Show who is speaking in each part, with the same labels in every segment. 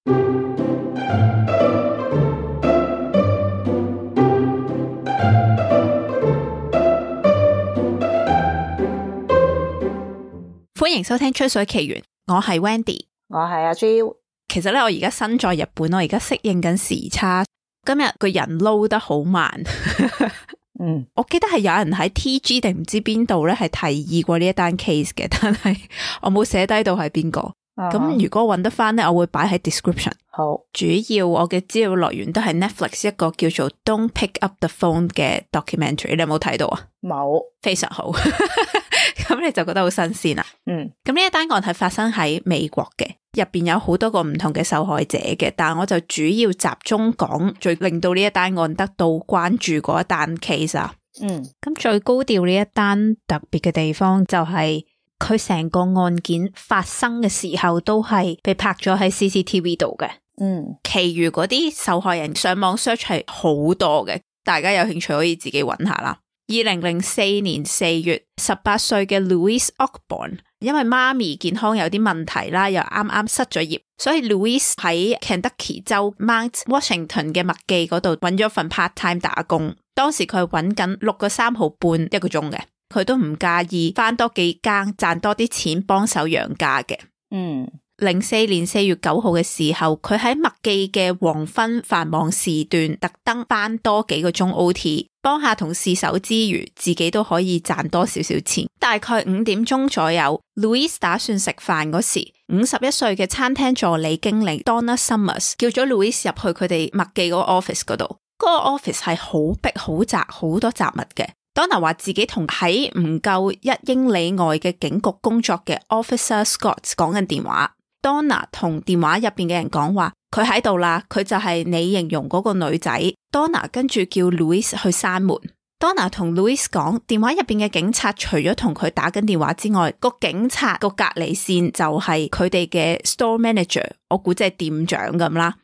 Speaker 1: 歡迎收聽吹水奇緣，我係 Wendy，
Speaker 2: 我係阿 Jill。
Speaker 1: 其實咧，我而家身在日本，我而家適應緊時差。今日個人撈得好慢。我記得係有人喺 TG 定唔知邊度咧，係提議過呢一單 case 嘅，但係我冇寫低到係邊個。咁如果搵得翻咧，我會擺喺 description。
Speaker 2: 好，主
Speaker 1: 要我嘅資料來源都係 Netflix 一個叫做 Don't Pick Up the Phone 嘅 documentary， 你有冇睇到啊？
Speaker 2: 冇，
Speaker 1: 非常好。咁你就覺得好新鮮啦。咁呢一單案係發生喺美國嘅，入邊有好多個唔同嘅受害者嘅，但係我就主要集中講最令到呢一單案得到關注嗰一單 case 啊。咁最高調呢一單特別嘅地方就係佢成個案件發生嘅時候都係被拍咗喺 CCTV 度嘅。其餘嗰啲受害人上網 search 係好多嘅，大家有興趣可以自己揾下啦。2004年4月，18歲嘅 Louise Ogborn 因為媽咪健康有啲問題啦，又啱啱失咗業，所以 Louise 喺 Kentucky 州 Mount Washington 嘅麥記嗰度揾咗份 part time 打工。當時佢係揾緊6個3毫半一個鐘嘅，佢都唔介意返多幾更賺多啲錢幫手養家嘅。04年4月9號嘅時候，佢喺麥記嘅黃昏繁忙時段特登返多幾個鐘 OT， 幫下同事手之餘，自己都可以賺多少少錢。大概5點鐘左右 ，Louise 打算食飯嗰時，51歲嘅餐廳助理經理 Donna Summers 叫咗 Louise 入去佢哋麥記嗰個 office 嗰度。嗰個 office 係好逼好窄，好多雜物嘅。Donna 話自己同喺唔夠1英里外嘅警局工作嘅 Officer Scott 講緊電話。Donna 同電話入邊嘅人講話，佢喺度啦，佢就係你形容嗰個女仔。Donna 跟住叫 Louise 去閂門。Donna 同 Louise 講，電話入邊嘅警察除咗同佢打緊電話之外，個警察個隔離線就係佢哋嘅 store manager， 我估即係店長咁啦。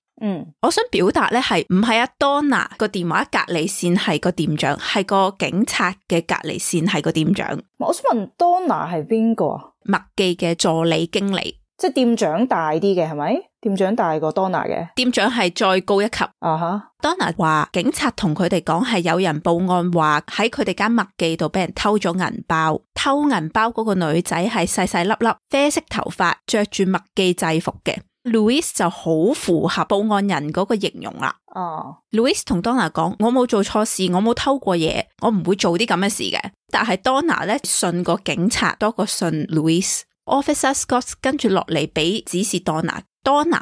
Speaker 1: 我想表達咧係唔係阿 Donna 個電話隔離線係個店長，係個警察嘅隔離線係個店長。
Speaker 2: 我想問 Donna 係邊個啊？
Speaker 1: 麥記嘅助理經理。
Speaker 2: 即係店長大啲嘅係咪？店長大過 Donna 嘅？
Speaker 1: 店長係再高一級。Donna 話警察同佢哋講係有人報案話喺佢哋間麥記度俾人偷咗銀包，偷銀包嗰個女仔係細細粒粒，啡色頭髮，着住麥記制服嘅。Louise 就好符合報案人嗰個形容啦。Louise 同 Donna 講，我冇做錯事，我冇偷過嘢，我唔會做啲咁嘅事嘅。但係 Donna 咧信個警察多過信 Louise。Officer Scott 跟住落嚟俾指示 Donna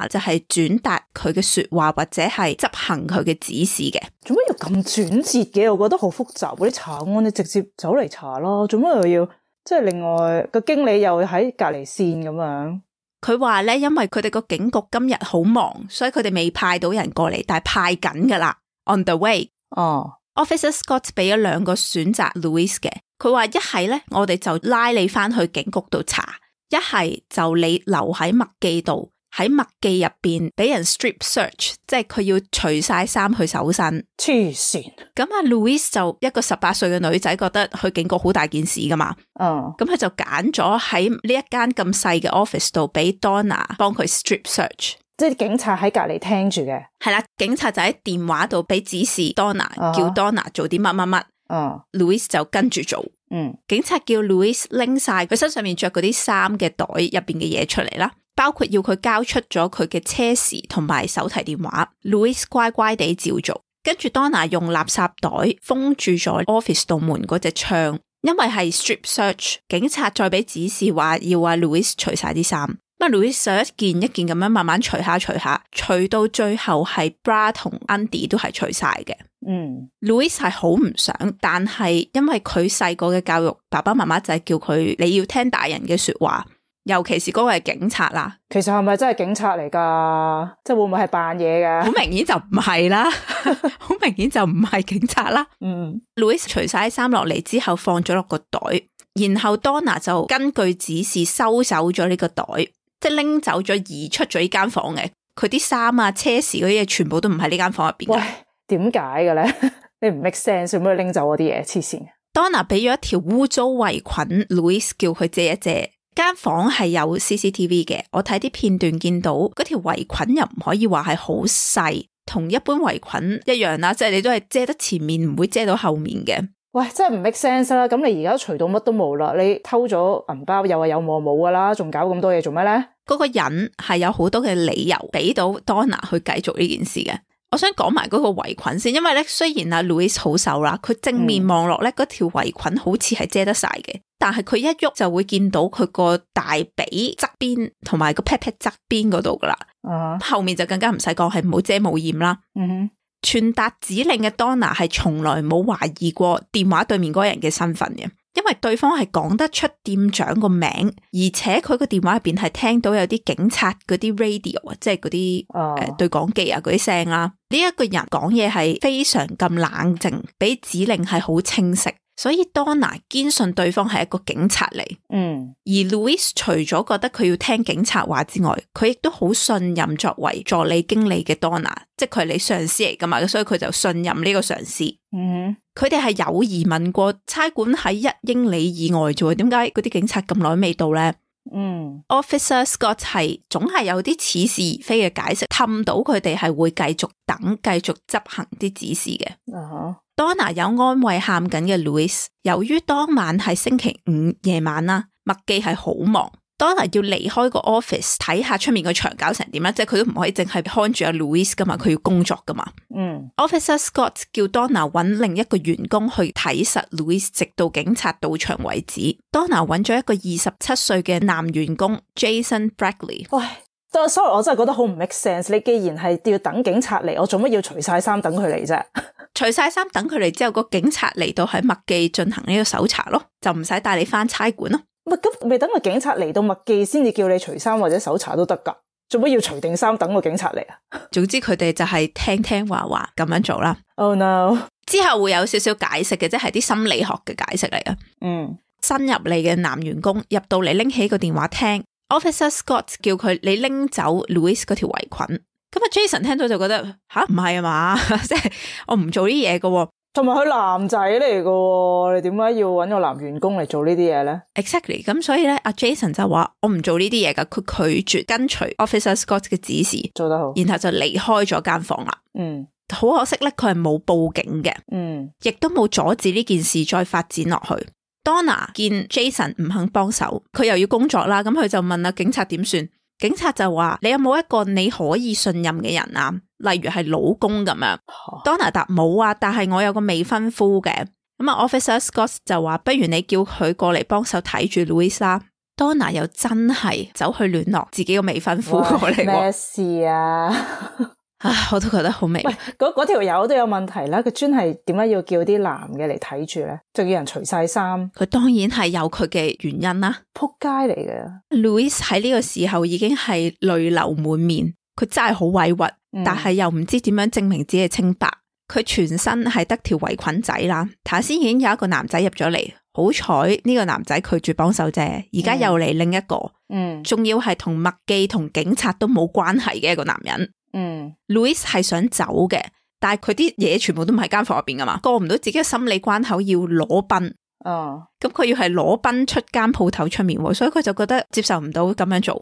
Speaker 1: 就係轉達佢嘅說話或者係執行佢嘅指示嘅。
Speaker 2: 做乜要咁轉折嘅？我覺得好複雜。嗰啲查案你直接走嚟查咯，做乜又要即係另外個經理又喺隔離線咁樣？
Speaker 1: 佢話咧，因為佢哋個警局今日好忙，所以佢哋未派到人過嚟，但係派緊噶啦 ，on the way。Officer Scott 俾咗2個選擇 Louise 嘅，佢話一係咧，我哋就拉你翻去警局度查。一係就你留喺麥記度，喺麥記入邊俾人 strip search， 即係佢要除晒衫去搜身。
Speaker 2: 黐線！
Speaker 1: 咁阿 Louise 就一個18歲嘅女仔，覺得去警局好大件事噶嘛。咁佢就揀咗喺呢一間咁細嘅 office 度俾 Donna 幫佢 strip search，
Speaker 2: 即係警察喺隔籬聽住嘅。係
Speaker 1: 啦，警察就喺電話度俾指示 Donna，叫 Donna 做啲乜乜乜。Louise 就跟住做。警察叫 Louise 拎晒佢身上面着嗰啲衫嘅袋入邊嘅嘢出嚟啦，包括要佢交出咗佢嘅車匙同埋手提電話。Louise 乖乖地照做，跟住 Donna 用垃圾袋封住咗 office 度門嗰隻窗，因為係 strip search， 警察再俾指示話要阿 Louise 除晒啲衫。Louise 就一件一件咁樣慢慢除下，除到最後係 bra 同 undy 都係除晒嘅。Louise 係好唔想，但係因為佢細個嘅教育，爸爸媽媽就係叫佢你要聽大人嘅說話，尤其是嗰個係警察啦。
Speaker 2: 其實係咪真係警察嚟噶？即係會唔會係扮嘢噶？
Speaker 1: 好明顯就唔係啦，好明顯就唔係警察啦。Louise 除晒啲衫落嚟之後放咗落個袋，然後 Donna 就根據指示收走咗呢個袋，即係拎走咗移出咗呢間房嘅。佢啲衫啊、車匙嗰啲嘢全部都唔喺呢間房入邊。喂，
Speaker 2: 點解嘅咧？你唔 make sense， 做咩拎走嗰啲嘢？黐線。
Speaker 1: Donna 俾咗一條污糟圍裙 Louise 叫佢借一借，間房係有 CCTV 嘅，我睇啲片段見到嗰條圍裙又唔可以話係好細，同一般圍裙一樣啦，即係你都係遮得前面，唔會遮到後面嘅。
Speaker 2: 喂，真係唔 make sense 啦！咁你而家除到乜都冇啦，你偷咗銀包又話有冇冇噶啦，仲搞咁多嘢做咩咧？
Speaker 1: 嗰個人係有好多嘅理由俾到 Donna 去繼續呢件事嘅。我想講埋嗰個圍裙先，因為咧雖然阿 Louise 好瘦啦，佢正面望落咧嗰條圍裙好似係遮得晒嘅，但係佢一喐就會見到佢個大髀側邊同埋個 pat pat 側邊嗰度噶啦。後面就更加唔使講，係冇遮冇掩啦。傳達指令嘅 Donna 係從來冇懷疑過電話對面嗰個人嘅身份嘅，因為對方係講得出店長個名，而且佢個電話入邊係聽到有啲警察嗰啲 radio 啊，即係嗰啲對講機啊嗰啲聲啦。呢一個人講嘢係非常咁冷靜，俾指令係好清晰，所以 Donna 堅信對方係一個警察嚟。而 Louise 除咗覺得佢要聽警察話之外，佢亦都好信任作為助理經理嘅 Donna， 即係佢係你上司嚟噶嘛，所以佢就信任呢個上司。佢哋係有疑問過差館喺1英里以外啫，點解嗰啲警察咁耐未到咧？Officer Scott 係總係有啲似是而非嘅解釋，氹到佢哋係會繼續等，繼續執行啲指示嘅。Donna 有安慰喊緊嘅 Louise， 由於當晚係星期五夜晚啦，麥記係好忙。Donna 要離開個 office 睇下出面個牆搞成點啦，即係佢都唔可以淨係看住阿 Louise 噶嘛，佢要工作噶嘛。Officer Scott 叫 Donna 揾另一個員工去睇實 Louise， 直到警察到場為止。Donna 揾咗一個27歲嘅男員工 Jason Bradley。
Speaker 2: 喂，sorry， 我真係覺得好唔 make sense。你既然係要等警察嚟，我做乜要除晒衫等佢嚟啫？
Speaker 1: 除晒衫等佢嚟之後，個警察嚟到喺麥記進行呢個搜查咯，就唔使帶你翻差館咯。
Speaker 2: 咁未等個警察嚟到麥記先至叫你除衫或者搜查都得噶，做乜要除定衫等個警察嚟啊？
Speaker 1: 總之佢哋就係聽話話咁樣做啦。
Speaker 2: Oh no！ 之
Speaker 1: 後會有少少解釋嘅，即係啲心理學嘅解釋嚟嘅。新入嚟嘅男員工入到嚟拎起個電話聽 Officer Scott 叫佢你拎走 Louise 嗰條圍裙。咁啊 Jason 聽到就覺得吓，唔係啊嘛，即係我唔做啲嘢嘅。
Speaker 2: 同埋佢男仔嚟嘅，你點解要揾個男員工嚟做呢啲嘢咧
Speaker 1: ？Exactly， 咁所以咧，阿 Jason 就話我唔做呢啲嘢噶，佢拒絕跟隨 Officer Scott 嘅指示，
Speaker 2: 做得好，
Speaker 1: 然後就離開咗間房啦。好可惜咧，佢係冇報警嘅，亦都冇阻止呢件事再發展落去。Donna 見 Jason 唔肯幫手，佢又要工作啦，咁佢就問啦警察點算？警察就話你有冇一個你可以信任嘅人啊？例如係老公咁樣。Donna 答冇啊，但係我有個未婚夫嘅。咁啊 Officer Scott 就話不如你叫佢過嚟幫手睇住 Louise 啦。Donna 又真係走去聯絡自己個未婚夫過嚟。
Speaker 2: 咩事啊？
Speaker 1: 我都覺得好明。
Speaker 2: 喂，嗰條友都有問題啦，佢專係點解要叫啲男嘅嚟睇住咧？仲要人除晒衫，
Speaker 1: 佢當然係有佢嘅原因啦。
Speaker 2: 仆街嚟嘅。
Speaker 1: Louise 喺呢個時候已經係淚流滿面，佢真係好委屈，但係又唔知點樣證明自己嘅清白。佢全身係得條圍裙仔啦，頭先已經有一個男仔入咗嚟，好彩呢個男仔拒絕幫手啫，而家又嚟另一個，仲要係同麥記同警察都冇關係嘅一個男人。Louise 係想走嘅，但係佢啲嘢全部都唔喺間房入邊噶嘛，過唔到自己嘅心理關口，要裸奔。咁佢要係裸奔出間鋪頭出面，所以佢就覺得接受唔到咁樣做。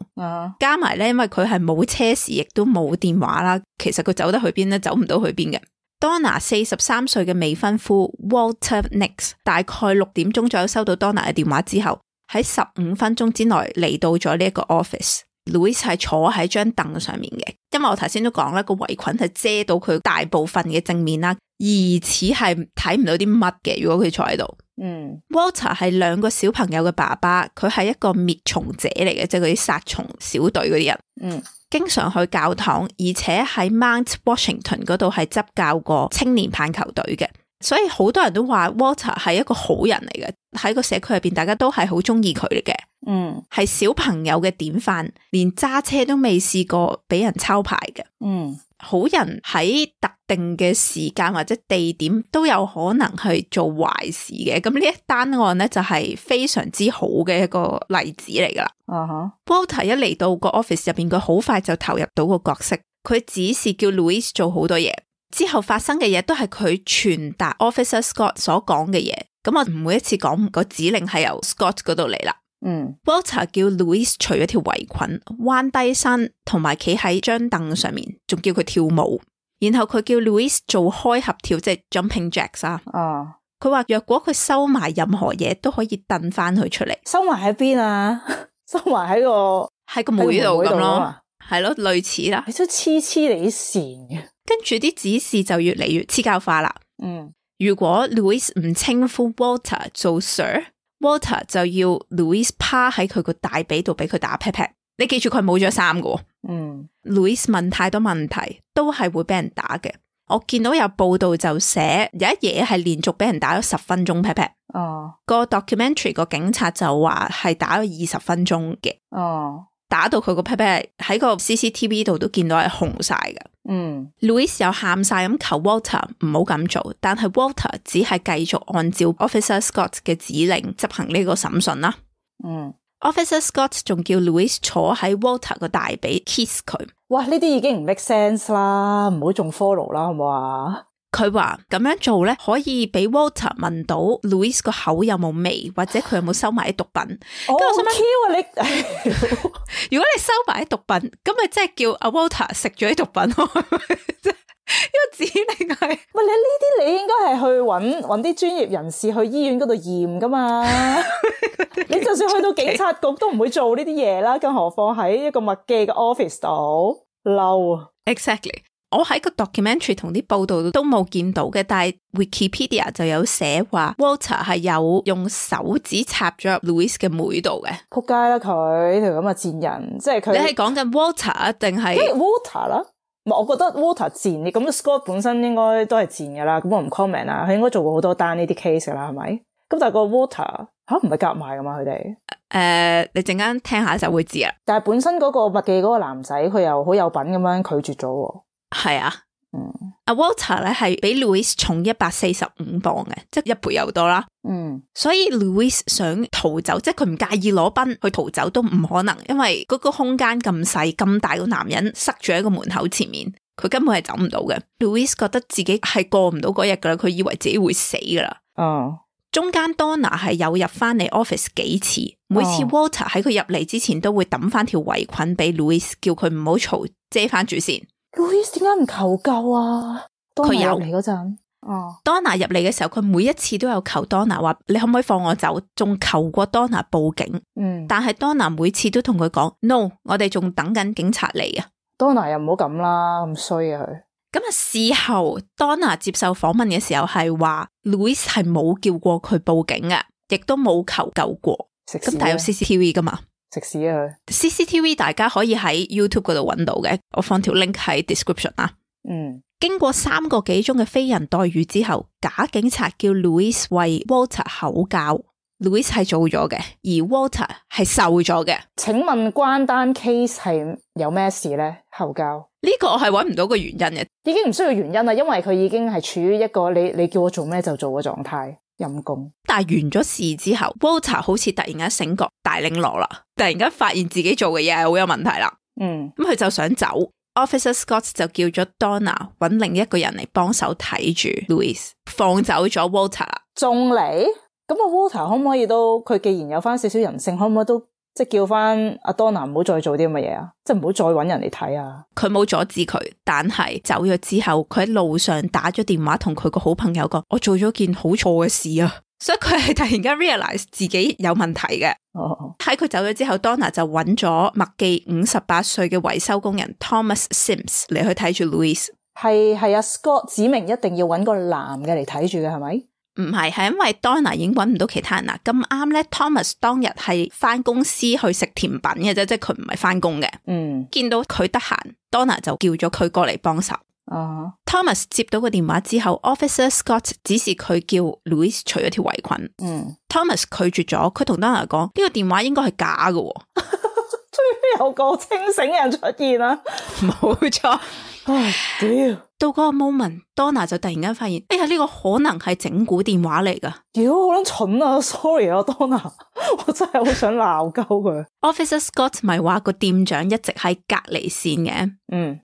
Speaker 1: 加埋咧，因為佢係冇車匙，亦都冇電話啦，其實佢走得去邊咧，走唔到去邊嘅。Donna 43歲嘅未婚夫 Walter Nix 大概6點鐘左右收到 Donna 嘅電話之後，喺15分鐘之內嚟到咗呢一個 office。Louise 係坐喺張凳上面嘅，因為我頭先都講啦，個圍裙係遮到佢大部分嘅正面啦，疑似係睇唔到啲乜嘅。如果佢坐喺度，Walter 係2個小朋友嘅爸爸，佢係一個滅蟲者嚟嘅，即係嗰啲殺蟲小隊嗰啲人。經常去教堂，而且喺 Mount Washington 嗰度係執教過青年棒球隊嘅，所以好多人都話 Walter 係一個好人嚟嘅，喺個社區入邊大家都係好中意佢嘅。係小朋友嘅典範，連揸車都未試過俾人抄牌嘅。好人喺特定嘅時間或者地點都有可能去做壞事嘅，咁呢一單案咧就係非常之好嘅一個例子嚟噶啦。Walter 一嚟到個 office 入邊，佢好快就投入到個角色，佢只是叫 Louise 做好多嘢，之後發生嘅嘢都係佢傳達 Officer Scott 所講嘅嘢。咁我唔每一次講個指令係由 Scott 嗰度嚟啦。Walter 叫 Louise 除咗條圍裙，彎低身，同埋企喺張凳上面，仲叫佢跳舞。然後佢叫 Louise 做開合跳，即係 jumping jacks 啊。佢話若果佢收埋任何嘢，都可以掟翻佢出嚟。
Speaker 2: 收埋喺邊啊？收埋喺個
Speaker 1: 妹度咁咯，係咯，類似啦。
Speaker 2: 你都黐你線嘅。跟
Speaker 1: 住啲指示就越嚟越黐膠化啦。如果 Louise 唔稱呼 Walter 做 Sir，Walter 就要 Louise 趴喺佢個大髀度俾佢打 pat pat。你記住佢冇着衫㗎。Louise 問太多問題都係會俾人打嘅。我見到有報道就寫有一嘢係連續俾人打咗10分鐘 pat pat。個 documentary 個警察就話係打咗20分鐘嘅。打到佢個 pat pat 喺個 CCTV 度都見到係紅晒嘅。Louise 又喊晒咁求 Walter 唔好咁做，但係 Walter 只係繼續按照 Officer Scott 嘅指令執行呢個審訊啦。Officer Scott 仲叫 Louise 坐喺 Walter 個大髀 kiss 佢。
Speaker 2: 哇，呢啲已經唔 make sense 啦，唔好仲 follow 啦，好唔好啊？
Speaker 1: 佢話咁樣做咧，可以俾 Walter 問到 Louise 個口有冇味，或者佢有冇收埋啲毒品。
Speaker 2: 我想問 Q 啊你，
Speaker 1: 如果你收埋啲毒品，咁咪即係叫阿 Walter 食咗啲毒品咯？呢個指令係，
Speaker 2: 喂，你呢啲你應該係去搵啲專業人士去醫院嗰度驗噶嘛？你就算去到警察局都唔會做呢啲嘢啦，更何況喺一個麥記嘅 office 度嬲啊
Speaker 1: ！Exactly， 我喺個 documentary 同啲報道都冇見到嘅，但係 Wikipedia 就有寫話 Walter 係有用手指插咗入 Louise 嘅妹度嘅。
Speaker 2: 仆街啦佢條咁嘅賤人，即係佢。你
Speaker 1: 係講緊 Walter 定係
Speaker 2: Walter 啦？我覺得 Walter 賤，咁 Scott 本身應該都係賤噶啦，咁我唔 comment 啦，佢應該做過好多單呢啲 case 噶啦，係咪？咁但係個 Walter 唔係夾埋噶嘛，佢哋
Speaker 1: 你陣間聽下就會知啦。
Speaker 2: 但係本身嗰個麥記嗰個男仔，佢又好有品咁樣拒絕咗。
Speaker 1: 係啊，阿 Walter 咧係比 Louise 重145磅嘅，即係1倍又多啦。所以 Louise 想逃走，即係佢唔介意裸奔去逃走都唔可能，因為嗰個空間咁細，咁大個男人塞住喺個門口前面，佢根本係走唔到嘅。Louise 覺得自己係過唔到嗰日噶啦，佢以為自己會死噶啦。中間 Donna 係有入翻嚟 office 幾次，每次 Walter 喺佢入嚟之前都會抌翻條圍裙俾 Louise， 叫佢唔好嘈，遮翻住先。
Speaker 2: Louise 點解唔求救啊？佢入嚟嗰陣
Speaker 1: ，Donna 入嚟嘅時候，佢每一次都有求 Donna 話你可唔可以放我走，仲求過 Donna 報警。但係 Donna 每次都同佢講 no， 我哋仲等緊警察嚟啊。
Speaker 2: Donna 又唔好咁啦，咁衰啊佢。
Speaker 1: 咁啊，事後 Donna 接受訪問嘅時候係話 Louise 係冇叫過佢報警嘅，亦都冇求救過。咁但係有 CCTV 噶嘛？
Speaker 2: 食屎啊佢
Speaker 1: ！CCTV 大家可以喺 YouTube 嗰度揾到嘅，我放條 link 喺 description 啦。經過3個幾鐘嘅非人待遇之後，假警察叫 Louise 為 Walter 口交。Louise 係做咗嘅，而 Walter 係受咗嘅。請
Speaker 2: 問關單 case 係有咩事咧？口交
Speaker 1: 呢個我係揾唔到個原因嘅，
Speaker 2: 已經唔需要原因啦，因為佢已經係處於一個你叫我做咩就做嘅狀態。陰功。
Speaker 1: 但係完咗事之後 Walter 好似突然間醒覺大領落啦，突然間發現自己做嘅嘢係好有問題啦。咁佢就想走。Officer Scott 就叫咗 Donna 揾另一個人嚟幫手睇住 Louise， 放走咗 Walter 啦。
Speaker 2: 仲嚟？咁啊 Walter 可唔可以都，佢既然有翻少少人性，可唔可以都即係叫翻阿 Donna 唔好再做啲咁嘅嘢啊？即係唔好再揾人嚟睇啊？
Speaker 1: 佢冇阻止佢，但係走咗之後，佢喺路上打咗電話同佢個好朋友講：我做咗件好錯嘅事啊！所以佢係突然間 realize 自己有問題嘅。喺佢走咗之後 Donna 就揾咗麥記58歲嘅維修工人 Thomas Sims 嚟去睇住 Louise。係
Speaker 2: 阿 Scott 指明一定要揾個男嘅嚟睇住嘅係咪？
Speaker 1: 唔係，係因為 Donna 已經揾唔到其他人啦。咁啱咧 Thomas 當日係翻公司去食甜品嘅啫，即係佢唔係翻工嘅。見到佢得閒 Donna 就叫咗佢過嚟幫手。Thomas 接到個電話之後 Officer Scott 指示佢叫 Louise 除咗條圍裙。Thomas 拒絕咗，佢同 Donna 講呢個電話應該係假嘅。
Speaker 2: 終於有個清醒人出現啦。
Speaker 1: 冇錯。
Speaker 2: 唉，屌！
Speaker 1: 到嗰個 moment Donna 就突然間發現，哎呀呢個可能係整蠱電話嚟噶。
Speaker 2: 屌，好撚蠢啊 ！Sorry 啊 Donna， 我真係好想鬧鳩佢。
Speaker 1: Officer Scott 咪話個店長一直喺隔離線嘅。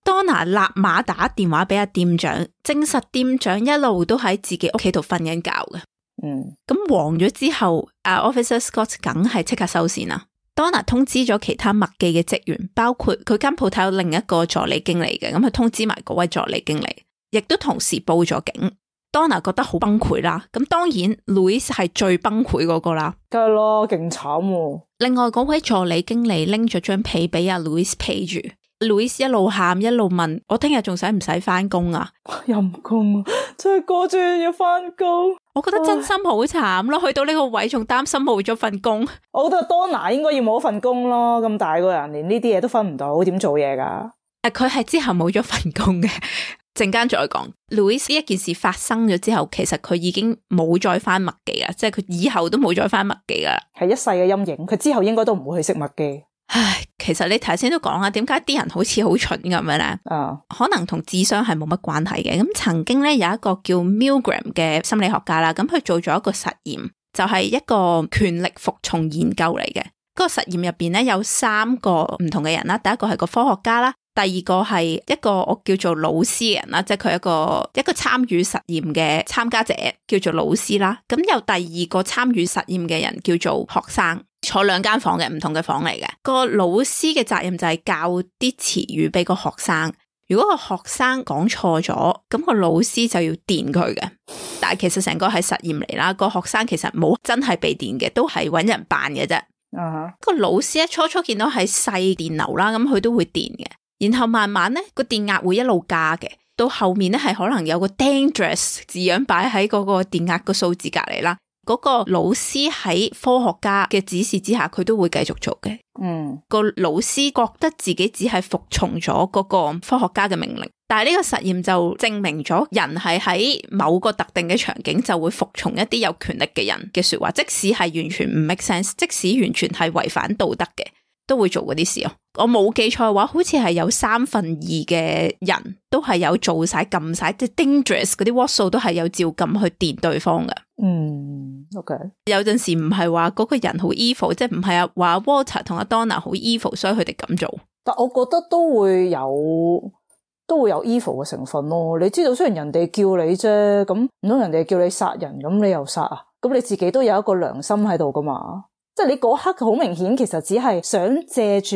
Speaker 1: Donna 立馬打電話俾阿店長，證實店長一路都喺自己屋企度瞓緊覺嘅。咁黃咗之後Officer Scott 梗係即刻收線啦。Donna 通知咗其他麥記嘅職員，包括佢間鋪頭有另一個助理經理嘅，咁佢通知埋嗰位助理經理，亦都同時報咗警。Donna 覺得好崩潰啦，咁當然 Louis 係最崩潰嗰個啦，
Speaker 2: 梗係咯，勁慘喎。
Speaker 1: 另外嗰位助理經理拎咗張被俾阿 Louis 披住。Louis 一路喊一路問我聽日仲使唔使返工啊？
Speaker 2: 陰公啊，真係過住要返工。
Speaker 1: 我覺得真心好慘咯，去到呢個位仲擔心冇咗份工。
Speaker 2: 我覺得 Donna 應該要冇份工咯，咁大個人連呢啲嘢都分唔到，點做嘢噶？
Speaker 1: 佢係之後冇咗份工嘅，陣間再講。Louis 呢一件事發生咗之後，其實佢已經冇再返麥記啦，即係佢以後都冇再返麥記啦，
Speaker 2: 係一世嘅陰影。佢之後應該都唔會去食麥記。
Speaker 1: 唉，其實你頭先都講啦，點解啲人好似好蠢咁樣咧？可能同智商係冇乜關係嘅。咁曾經咧有一個叫 Milgram 嘅心理學家啦，咁佢做咗一個實驗，就係一個權力服從研究嚟嘅。嗰個實驗入邊咧有3個唔同嘅人啦，第一個係個科學家啦，第二個係一個我叫做老師嘅人啦，即係佢一個參與實驗嘅參加者叫做老師啦。咁有第二個參與實驗嘅人叫做學生。坐2間房嘅唔同嘅房嚟嘅，個老師嘅責任就係教啲詞語俾個學生。如果個學生講錯咗，咁個老師就要電佢嘅。但係其實成個係實驗嚟啦，個學生其實冇真係被電嘅，都係搵人扮嘅啫。個老師咧初見到係細電流啦，咁佢都會電嘅，然後慢慢咧個電壓會一路加嘅，到後面咧係可能有個 dangerous 字樣擺喺嗰個電壓個數字隔籬啦。嗰個老師喺科學家嘅指示之下，佢都會繼續做嘅。個老師覺得自己只係服從咗嗰個科學家嘅命令，但係呢個實驗就證明咗人係喺某個特定嘅場景就會服從一啲有權力嘅人嘅說話，即使係完全唔 make sense， 即使完全係違反道德嘅，都會做嗰啲事。我冇記錯嘅話，好似係有2/3嘅人都係有做晒撳晒，即係 dangerous 嗰啲 watt 數都係有照撳去電對方嘅。
Speaker 2: OK。
Speaker 1: 有陣時唔係話嗰個人好 evil， 即係唔係話 Walter 同阿 Donna 好 evil， 所以佢哋咁做。
Speaker 2: 但我覺得都會有 evil 嘅成分咯。你知道雖然人哋叫你啫，咁唔通人哋叫你殺人，咁你又殺啊？咁你自己都有一個良心喺度噶嘛？即係你嗰刻好明顯，其實只係想借住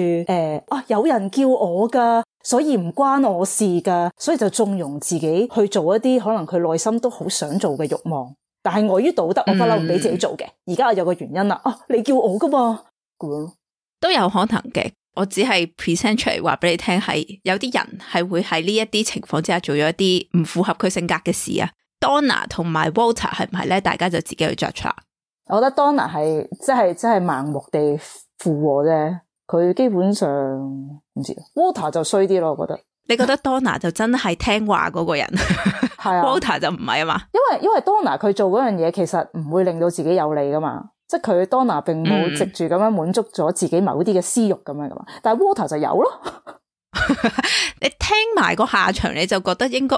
Speaker 2: 有人叫我噶，所以唔關我事噶，所以就縱容自己去做一啲可能佢內心都好想做嘅慾望，但係礙於道德，我不嬲唔俾自己做嘅。而家我有個原因啦，你叫我噶嘛，
Speaker 1: 都有可能嘅。我只係 present 出嚟話俾你聽，係有啲人係會喺呢一啲情況之下做咗一啲唔符合佢性格嘅事啊。Donna 同埋 Walter 係唔係咧？大家就自己去 judge 啦。
Speaker 2: 我覺得 Donna 係真係盲目地附和啫，佢基本上唔知 Walter 就衰啲咯，我覺得。
Speaker 1: 你覺得 Donna 就真係聽話嗰個人，係啊，Walter 就唔係啊嘛？
Speaker 2: 因為 Donna 佢做嗰樣嘢其實唔會令到自己有利噶嘛，即係佢 Donna 並冇藉住咁樣滿足咗自己某啲嘅私欲咁樣噶嘛，但係 Walter 就有咯。
Speaker 1: 你聽埋個下場，你就覺得應該，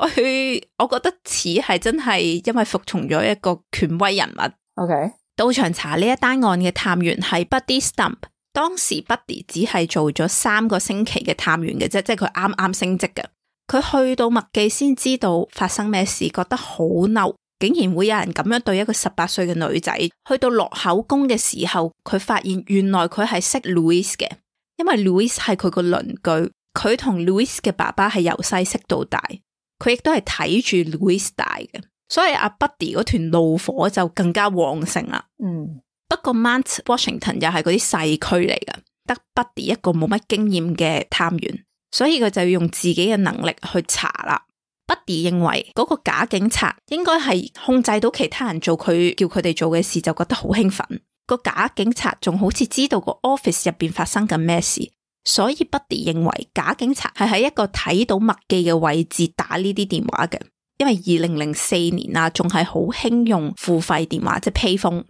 Speaker 1: 我覺得似係真係因為服從咗一個權威人物。
Speaker 2: OK。
Speaker 1: 到場查呢一單案嘅探員係 Buddy Stump， 當時 Buddy 只係做咗3個星期嘅探員嘅啫，即係佢啱啱升職嘅。佢去到麥記先知道發生咩事，覺得好嬲，竟然會有人咁樣對一個18歲嘅女仔。去到落口供嘅時候，佢發現原來佢係識 Louis 嘅，因為 Louis 係佢個鄰居，佢同 Louis 嘅爸爸係由細識到大，佢亦都係睇住 Louis 大嘅。所以阿 Buddy 嗰團怒火就更加旺盛啦。不過 Mount Washington 又係嗰啲細區嚟㗎，得 Buddy 一個冇乜經驗嘅探員，所以佢就要用自己嘅能力去查啦。Buddy 認為嗰個假警察應該係控制到其他人做佢叫佢哋做嘅事，就覺得好興奮。個假警察仲好似知道個 office 入邊發生緊咩事，所以 Buddy 認為假警察係喺一個睇到麥記嘅位置打呢啲電話嘅。因為2004年啊，仲係好興用付費電話，即係 payphone。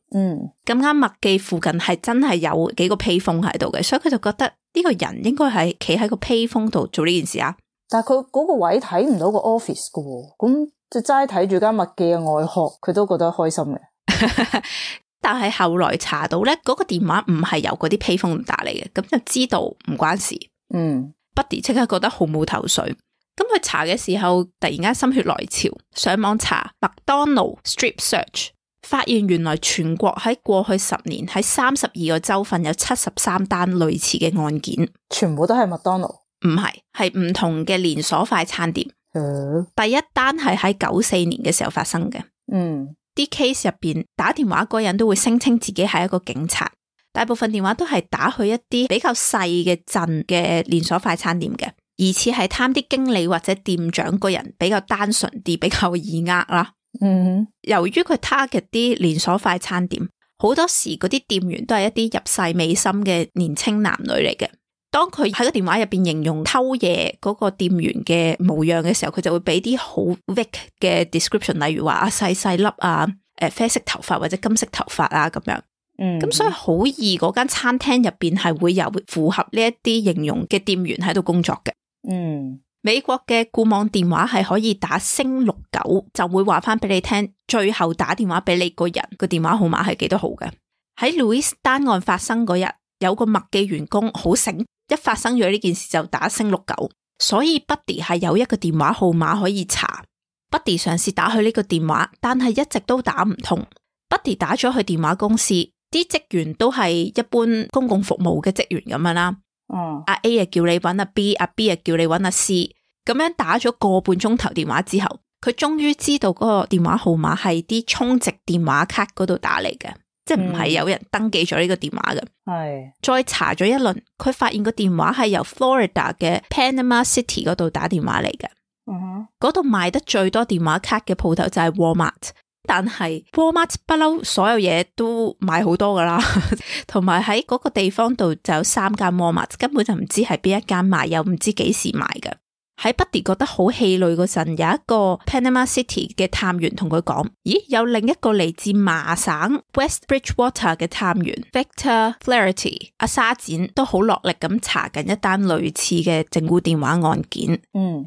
Speaker 1: 咁啱麥記附近係真係有幾個 payphone喺度嘅，所以佢就覺得呢個人應該係企喺個 payphone 度做呢件事啊。
Speaker 2: 但係佢嗰個位睇唔到個 office 噶，咁就齋睇住間麥記嘅外殼，佢都覺得開心嘅。
Speaker 1: 但係後來查到咧，嗰個電話唔係由嗰啲 payphone 打嚟嘅，咁就知道唔關事。Buddy 即刻覺得好冇頭緒。咁佢查嘅時候，突然間心血來潮，上網查麥當勞 strip search，發現原來全國喺過去10年喺32個州份有73單類似嘅案件，
Speaker 2: 全部都係麥當勞？
Speaker 1: 唔係，係唔同嘅連鎖快餐店。第一單係喺94年嘅時候發生嘅。啲 case 入邊打電話嗰人都會聲稱自己係一個警察，大部分電話都係打去一啲比較細嘅鎮嘅連鎖快餐店嘅，疑似係貪啲經理或者店長個人比較單純啲，比較易呃啦。由於佢 target 啲連鎖快餐店，好多時嗰啲店員都係一啲入世未深嘅年青男女嚟嘅。當佢喺個電話入邊形容偷嘢嗰個店員嘅模樣嘅時候，佢就會俾啲好 vague 嘅 description， 例如話細細粒啊，啡色頭髮或者金色頭髮啊咁樣。咁所以好易嗰間餐廳入邊係會有符合呢一啲形容嘅店員喺度工作嘅。美國嘅固網電話係可以打*69就會話翻俾你聽，最後打電話俾你個人個電話號碼係幾多號嘅。喺 Louis 單案發生嗰日，有個麥記員工好醒，一發生咗呢件事就打*69，所以 Buddy 係有一個電話號碼可以查。Buddy 嘗試打去呢個電話，但係一直都打唔通。Buddy 打咗去電話公司，啲職員都係一般公共服務嘅職員咁樣啦。阿 A 啊叫你搵阿 B， 阿 B 啊叫你搵阿 C， 咁樣打咗個半鐘頭電話之後，佢終於知道嗰個電話號碼係啲充值電話卡嗰度打嚟嘅，即係唔係有人登記咗呢個電話嘅。再查咗一輪，佢發現個電話係由 Florida 嘅 Panama City 嗰度打電話嚟嘅。嗰度賣得最多電話卡嘅鋪頭就係 Walmart。但係 Walmart 不嬲所有嘢都買好多噶啦，同埋喺嗰個地方度就有3間 Walmart， 根本就唔知係邊一間賣，又唔知幾時賣嘅。喺 Buddy 覺得好氣餒嗰陣，有一個 Panama City 嘅探員同佢講，咦，有另一個嚟自麻省 West Bridgewater 嘅探員 Victor Flaherty 阿沙展都好落力咁查緊一單類似嘅整蠱電話案件。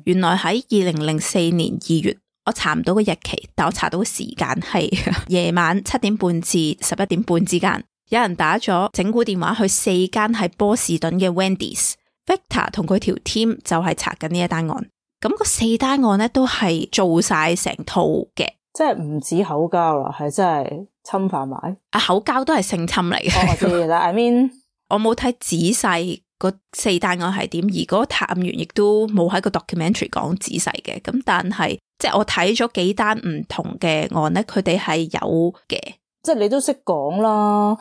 Speaker 1: 原來喺2004年2月。我查唔到個日期，但我查到個時間係夜晚7點半至11點半之間，有人打咗整蠱電話去4間喺波士頓嘅 Wendy's。Victor 同佢條 team 就係查緊呢一單案，咁個4單案咧都係做晒成套嘅，
Speaker 2: 即係唔止口交啦，係真係侵犯埋。
Speaker 1: 口交都係性侵嚟嘅。
Speaker 2: 我知啦，I mean
Speaker 1: 我冇睇仔細嗰4單案係點，而嗰個探員亦都冇喺個 documentary 講仔細嘅，咁但係。即係我睇咗幾單唔同嘅案咧，佢哋係有嘅。
Speaker 2: 即係你都識講啦，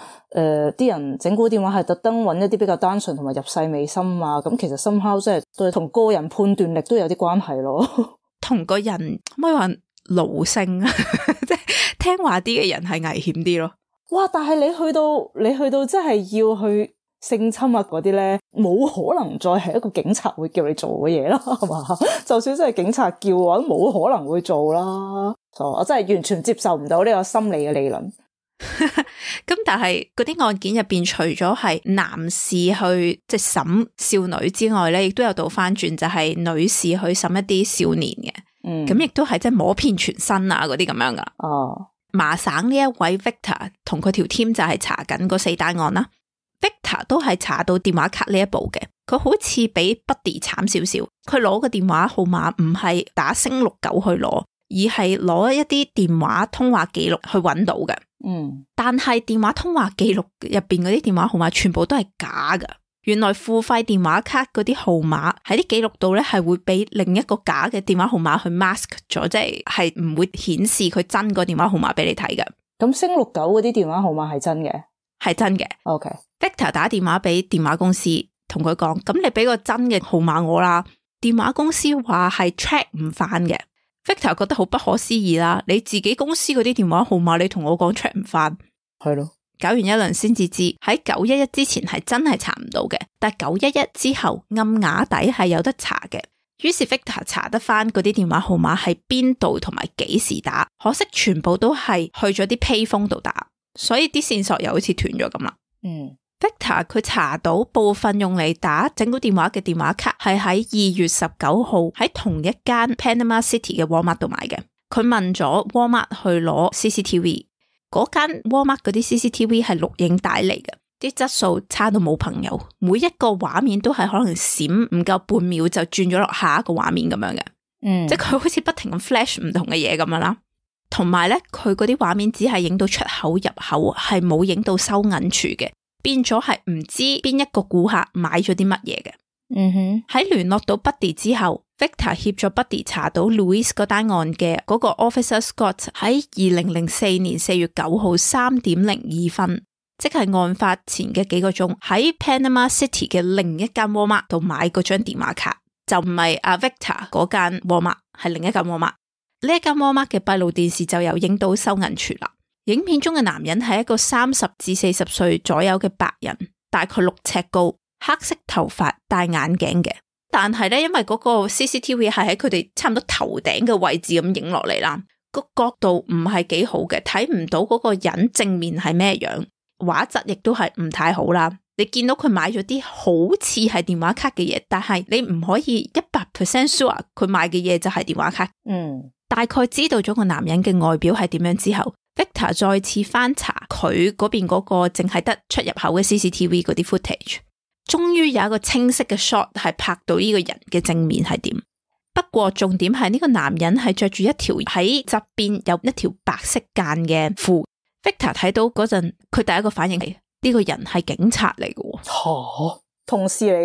Speaker 2: 啲人整蠱電話係特登揾一啲比較單純同埋入世未深啊，咁其實 somehow 即係對同個人判斷力都有啲關係咯。同個人可唔可以話奴性啊？即係聽話啲嘅人係危險啲咯。哇！但係你去到真係要去性侵啊嗰啲咧，冇可能再係一個警察會叫你做嘅嘢啦，係嘛？就算真係警察叫我都冇可能會做啦。我真係完全接受唔到呢個心理嘅理論。咁但係嗰啲案件入邊，除咗係男士去即係審少女之外咧，亦都有倒翻轉，就係女士去審一啲少年嘅。咁亦都係即係摸遍全身啊嗰啲咁樣噶。麻省呢一位 Victor 同佢條 team 就係查緊嗰4單案啦。Victor 都係查到電話卡呢一步嘅，佢好似比 Buddy 慘少少。佢攞個電話號碼唔係打*69去攞，而係攞一啲電話通話記錄去揾到嘅。但係電話通話記錄入邊嗰啲電話號碼全部都係假噶。原來付費電話卡嗰啲號碼喺啲記錄度咧，係會俾另一個假嘅電話號碼去 mask 咗，即係唔會顯示佢真個電話號碼俾你睇嘅。咁*69嗰啲電話號碼係真嘅？係真嘅。OK。Victor 打電話俾電話公司，同佢講：咁你俾個真嘅號碼我啦。電話公司話係 track 唔翻嘅。Victor 覺得好不可思議啦，你自己公司嗰啲電話號碼，你同我講 track 唔翻，係咯？搞完一輪先至知，喺911之前係真係查唔到嘅，但係911之後暗啞底係有得查嘅。於是 Victor 查得翻嗰啲電話號碼係邊度同埋幾時打，可惜全部都係去咗啲 payphone 度打，所以啲線索又好似斷咗咁啦。Victor 佢查到部分用嚟打整蠱電話嘅電話卡係喺2月19號喺同一間 Panama City 嘅 Walmart 度買嘅。佢問咗 Walmart 去攞 CCTV， 嗰間 Walmart 嗰啲 CCTV 係錄影帶嚟嘅，啲質素差到冇朋友，每一個畫面都係可能閃唔夠半秒就轉咗落下一個畫面咁樣嘅。即係佢好似不停咁 flash 唔同嘅嘢咁樣啦。
Speaker 1: 同埋咧佢嗰啲畫面只係影到出口入口，係冇影到收銀處嘅，變咗係唔知邊一個顧客買咗啲乜嘢嘅。喺聯絡到 Buddy 之後， Victor 協助 Buddy 查到 Louise 嗰單案嘅嗰個 Officer Scott 喺2004年4月9號3點02分，即係案發前嘅幾個鐘，喺 Panama City 嘅另一間 Walmart 度買嗰張電話卡，就唔係阿 Victor 嗰間 Walmart， 係另一間 Walmart。呢一間 Walmart 嘅閉路電視就有影到收銀處啦。影片中嘅男人係一個30至40歲左右嘅白人，大概6尺高，黑色頭髮，戴眼鏡嘅。但係咧，因為嗰個 CCTV 係喺佢哋差唔多頭頂嘅位置咁影落嚟啦，個角度唔係幾好嘅，睇唔到嗰個人正面係咩樣，畫質亦都係唔太好啦。你見到佢買咗啲好似係電話卡嘅嘢，但係你唔可以100% sure 佢買嘅嘢就係電話卡。大概知道咗個男人嘅外表係點樣之後， Victor 再次翻查佢嗰邊嗰個淨係得出入口嘅 CCTV 嗰啲 footage， 終於有一個清晰嘅 shot 係拍到呢個人嘅正面係點。不過重點係呢個男人係着住一條喺側邊有一條白色間嘅褲。 Victor 睇到嗰陣，佢第一個反應係呢個人係警察嚟嘅。
Speaker 2: 同事嚟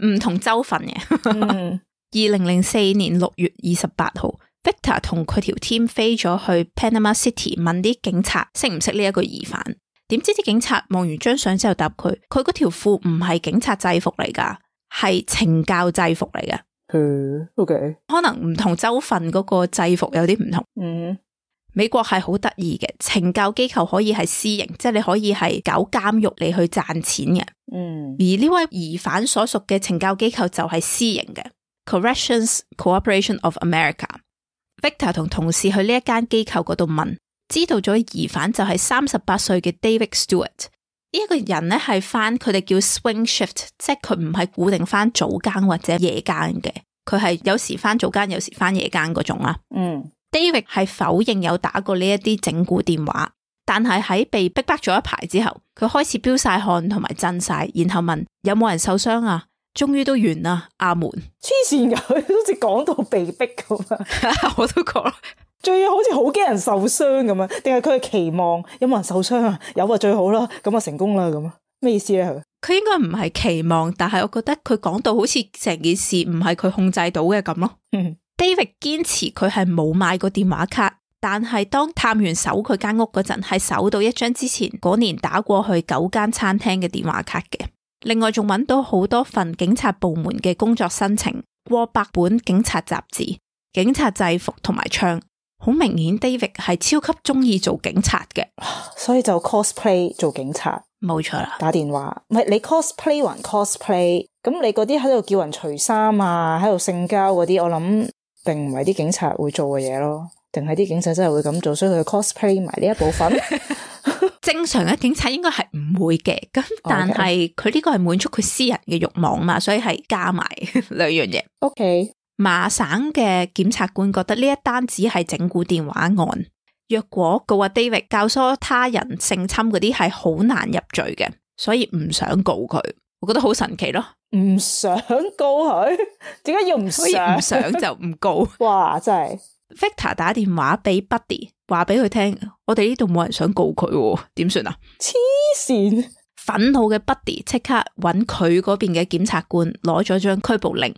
Speaker 2: 嘅，
Speaker 1: 唔同州份嘅。2004年6月28號，Victor 同佢條 team 飛咗去 Panama City 問啲警察識唔識呢一個疑犯。點知啲警察望完張相之後答佢嗰條褲唔係警察制服嚟噶，係懲教制服嚟嘅。
Speaker 2: OK，
Speaker 1: 可能唔同州份嗰個制服有啲唔同。美國係好得意嘅，懲教機構可以係私營，即係你可以係搞監獄嚟去賺錢嘅。而呢位疑犯所屬嘅懲教機構就係私營嘅 Corrections Corporation of America。Victor 同同事去呢一間機構嗰度問，知道咗疑犯就係38歲嘅 David Stewart。呢一個人咧係翻佢哋叫 swing shift， 即係佢唔係固定翻早更或者夜更嘅，佢係有時翻早更，有時翻夜更嗰種啦。David 係否認有打過呢一啲整蠱電話，但係喺被逼迫咗一排之後，佢開始飆晒汗同埋震晒，然後問有冇人受傷啊？終於都完啦，阿門。
Speaker 2: 黐線噶，佢好似講到被逼咁啊！
Speaker 1: 我都覺得，
Speaker 2: 仲要好似好驚人受傷咁啊？定係佢係期望有冇人受傷啊？有啊，最好啦，咁啊成功啦咁啊？咩意思咧？
Speaker 1: 佢應該唔係期望，但係我覺得佢講到好似成件事唔係佢控制到嘅咁咯。David 堅持佢係冇買過電話卡，但係當探員搜佢間屋嗰陣，係搜到一張之前嗰年打過去9間餐廳嘅電話卡嘅。另外仲揾到好多份警察部門嘅工作申請，過百本警察雜誌、警察制服同埋槍。好明顯 David 係超級中意做警察嘅，
Speaker 2: 所以就 cosplay 做警察。
Speaker 1: 冇錯啦，
Speaker 2: 打電話唔係你 cosplay 還 cosplay， 咁你嗰啲喺度叫人除衫啊，喺度性交嗰啲，我諗並唔係啲警察會做嘅嘢咯，定係啲警察真係會咁做，所以佢 cosplay 埋呢一部分。
Speaker 1: 正常嘅警察應該係唔會嘅，咁但係佢呢個係滿足佢私人嘅慾望嘛，所以係加埋兩樣嘢。
Speaker 2: OK，
Speaker 1: 麻省嘅檢察官覺得呢一單只係整蠱電話案，若果告阿 David 教唆他人性侵嗰啲係好難入罪嘅，所以唔想告佢。我覺得好神奇咯，
Speaker 2: 唔想告佢，點解要唔想？
Speaker 1: 所以唔想就唔告。
Speaker 2: 哇，真係
Speaker 1: Victor 打電話俾 Buddy， 話俾佢聽，我哋呢度冇人想告佢，點算啊？
Speaker 2: 黐線！
Speaker 1: 憤怒嘅 Buddy 即刻揾佢嗰邊嘅檢察官攞咗張拘捕令，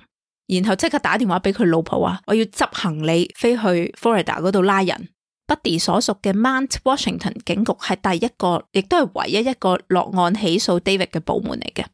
Speaker 1: 然後即刻打電話俾佢老婆話，我要執行李飛去 Florida 嗰度拉人。Buddy 所屬嘅 Mount Washington 警局係第一個，亦都係唯一一個落案起訴 David 嘅部門嚟嘅。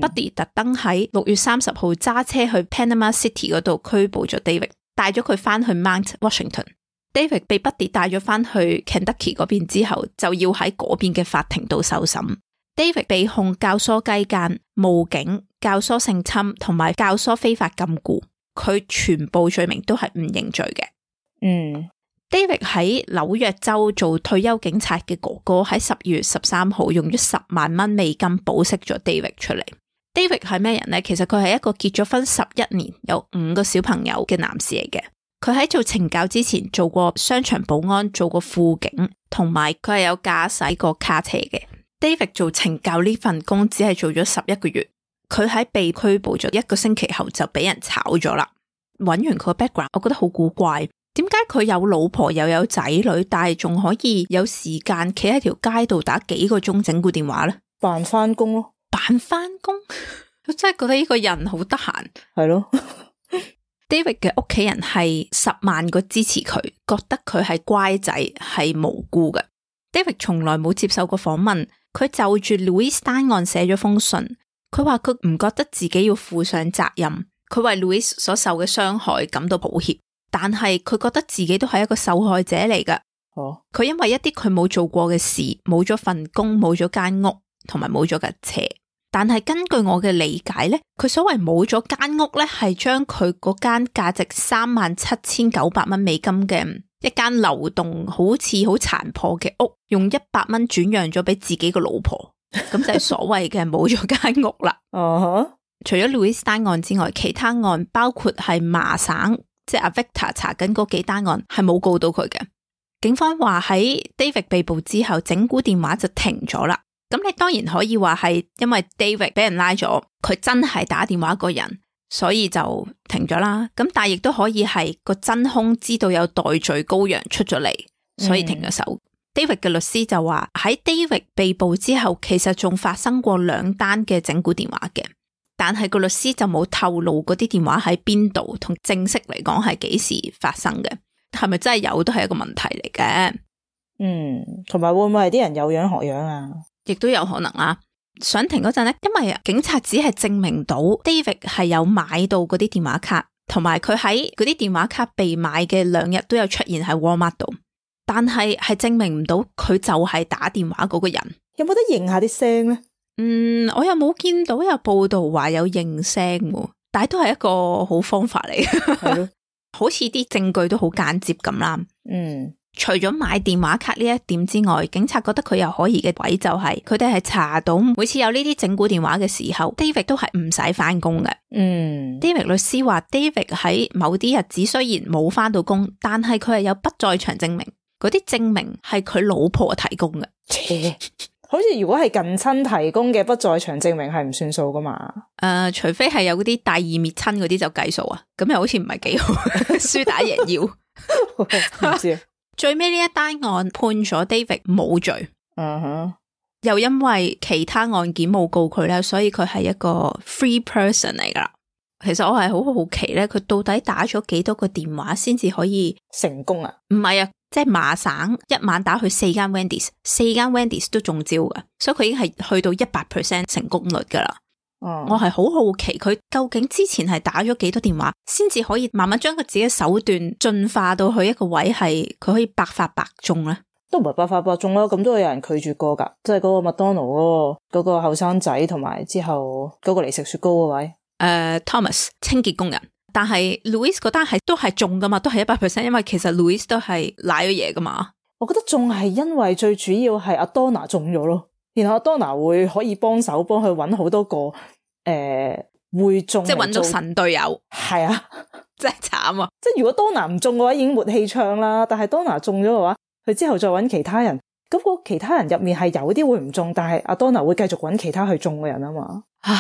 Speaker 1: Buddy 特登喺6月30號揸車去 Panama City 嗰度拘捕咗 David， 帶咗佢翻去 Mount Washington。David 被 Buddy 帶咗翻去 Kentucky 嗰邊之後，就要喺嗰邊嘅法庭度受審。David 被控教唆雞姦、冒警、教唆性侵同埋教唆非法禁錮，佢全部罪名都係唔認罪嘅。David 喺紐約州做退休警察嘅哥哥喺12月13號用咗10萬蚊美金保釋咗 David 出嚟。David 係咩人呢？其實佢係一個結咗婚11年有5個小朋友嘅男士嚟嘅。佢喺做懲教之前做過商場保安，做過副警，同埋佢係有駕駛過卡車嘅。David 做懲教呢份工只係做咗11個月，佢喺被拘捕咗1個星期後就俾人炒咗啦。揾完佢個 background，我覺得好古怪。點解佢有老婆又有仔女，但係仲可以有時間企喺條街度打幾個鐘整蠱電話咧？
Speaker 2: 扮翻工咯，
Speaker 1: 扮翻工，我真係覺得呢個人好得閒。
Speaker 2: 係咯
Speaker 1: ，David 嘅屋企人係10萬個支持佢，覺得佢係乖仔，係無辜嘅。David 從來冇接受過訪問，佢就住 Louise 單案寫咗封信，佢話佢唔覺得自己要負上責任，佢為 Louise 所受嘅傷害感到抱歉，但係佢覺得自己都係一個受害者嚟㗎。佢因為一啲佢冇做過嘅事，冇咗份工，冇咗間屋，同埋冇咗架車。但係根據我嘅理解咧，佢所謂冇咗間屋咧，係將佢嗰間價值37,900蚊美金嘅一間流動好似好殘破嘅屋，用100蚊轉讓咗俾自己個老婆，咁就係所謂嘅冇咗間屋啦。除咗 Louise 單案之外，其他案包括係麻省，即係阿 Victor 查緊嗰幾單案係冇告到佢嘅。警方話喺 David 被捕之後，整蠱電話就停咗啦。咁你當然可以話係因為 David 俾人拉咗，佢真係打電話個人，所以就停咗啦。咁但係亦都可以係個真兇知道有代罪羔羊出咗嚟，所以停咗手。David 嘅律師就話喺 David 被捕之後，其實仲發生過2單嘅整蠱電話嘅，但係個律師就冇透露嗰啲電話喺邊度，同正式嚟講係幾時發生嘅，係咪真係有都係一個問題嚟嘅。
Speaker 2: 同埋會唔會係啲人有樣學樣啊？
Speaker 1: 亦都有可能啦。想停嗰陣咧，因為警察只係證明到 David 係有買到嗰啲電話卡，同埋佢喺嗰啲電話卡被買嘅2日都有出現喺 Walmart 度，但係證明唔到佢就係打電話嗰個人。
Speaker 2: 有冇得認下啲聲咧？
Speaker 1: 我又冇見到有報道話有認聲，但係都係一個好方法嚟嘅。係咯，好似啲證據都好間接咁啦。除咗買電話卡呢一點之外，警察覺得佢有可疑嘅位就係佢哋係查到每次有呢啲整蠱電話嘅時候 David 都係唔使翻工嘅。David 律師話 David 喺某啲日子雖然冇翻到工，但係佢係有不在場證明，嗰啲證明係佢老婆提供嘅。
Speaker 2: 好似如果係近親提供嘅不在場證明係唔算數噶嘛？
Speaker 1: 除非係有嗰啲大義滅親嗰啲就計數啊，咁又好似唔係幾好。輸打贏要唔知最尾呢一單案判咗 David 冇罪，又因為其他案件冇告佢咧，所以佢係一個 free person 嚟噶啦。其實我係好好奇咧，佢到底打咗幾多個電話先至可以
Speaker 2: 成功啊？
Speaker 1: 唔係啊，即係麻省一晚打去4間 Wendy's，4間 Wendy's 都中招噶，所以佢已經係去到100% 成功率噶啦。我係好好奇佢究竟之前係打咗幾多電話，先至可以慢慢將佢自己手段進化到去一個位，係佢可以百發百中咧。
Speaker 2: 都唔係百發百中啦，咁都有人拒絕過噶，即係嗰個麥當勞嗰個後生仔，同埋之後嗰個嚟食雪糕嗰位
Speaker 1: Thomas 清潔工人。但係 Louise 嗰單係都係中噶嘛，都係100%，因為其實 Louise 都係賴咗嘢噶嘛。
Speaker 2: 我覺得中係因為最主要係阿 Donna 中咗咯。然後 Donna 會可以幫手幫佢揾好多個會中，即係揾到神隊友。係啊，真係慘啊！即係如果 Donna 唔中嘅話，已經沒氣唱啦。但係 Donna 中咗嘅話，佢之後再揾其他人，咁個其他人入面係有啲會唔中，但係阿 Donna 會繼續揾其他去中嘅人啊嘛。唉，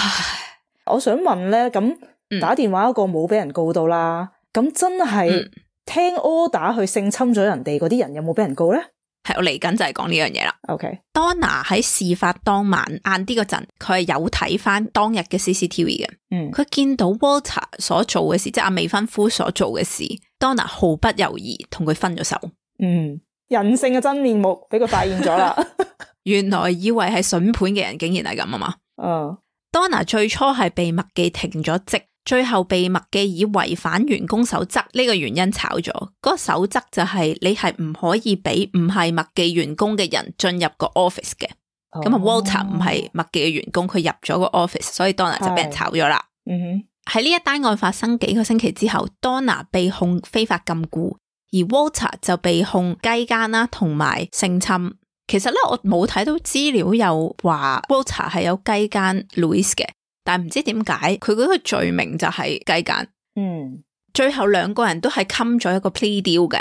Speaker 2: 我想問咧，咁打電話嗰個冇俾人告到啦，咁真係聽 order 去性侵咗人哋嗰啲人有冇俾人告咧？
Speaker 1: 係我嚟緊就係講呢樣嘢啦。
Speaker 2: OK，Donna
Speaker 1: 喺事發當晚晏啲嗰陣，佢係有睇翻當日嘅 CCTV 嘅。佢見到 Walter 所做嘅事，即係阿未婚夫所做嘅事 ，Donna 毫不猶豫同佢分咗手。
Speaker 2: 人性嘅真面目俾佢發現咗啦。
Speaker 1: 原來以為係筍盤嘅人，竟然係咁啊嘛。Donna 最初係被麥記停咗職，最後被麥記以違反員工守則呢個原因炒咗。嗰個守則就係你係唔可以俾唔係麥記員工嘅人進入個 office 嘅。咁Walter 唔係麥記嘅員工，佢入咗個 office，所以 Donna 就俾人炒咗啦。喺呢一單案發生幾個星期之後， Donna 被控非法禁錮，而 Walter 就被控雞姦啦同埋性侵。其實咧，我冇睇到資料有話 Walter 係有雞姦 Louise 嘅，但係唔知點解佢嗰個罪名就係雞姦。最後2個人都係冚咗一個 plea deal 嘅。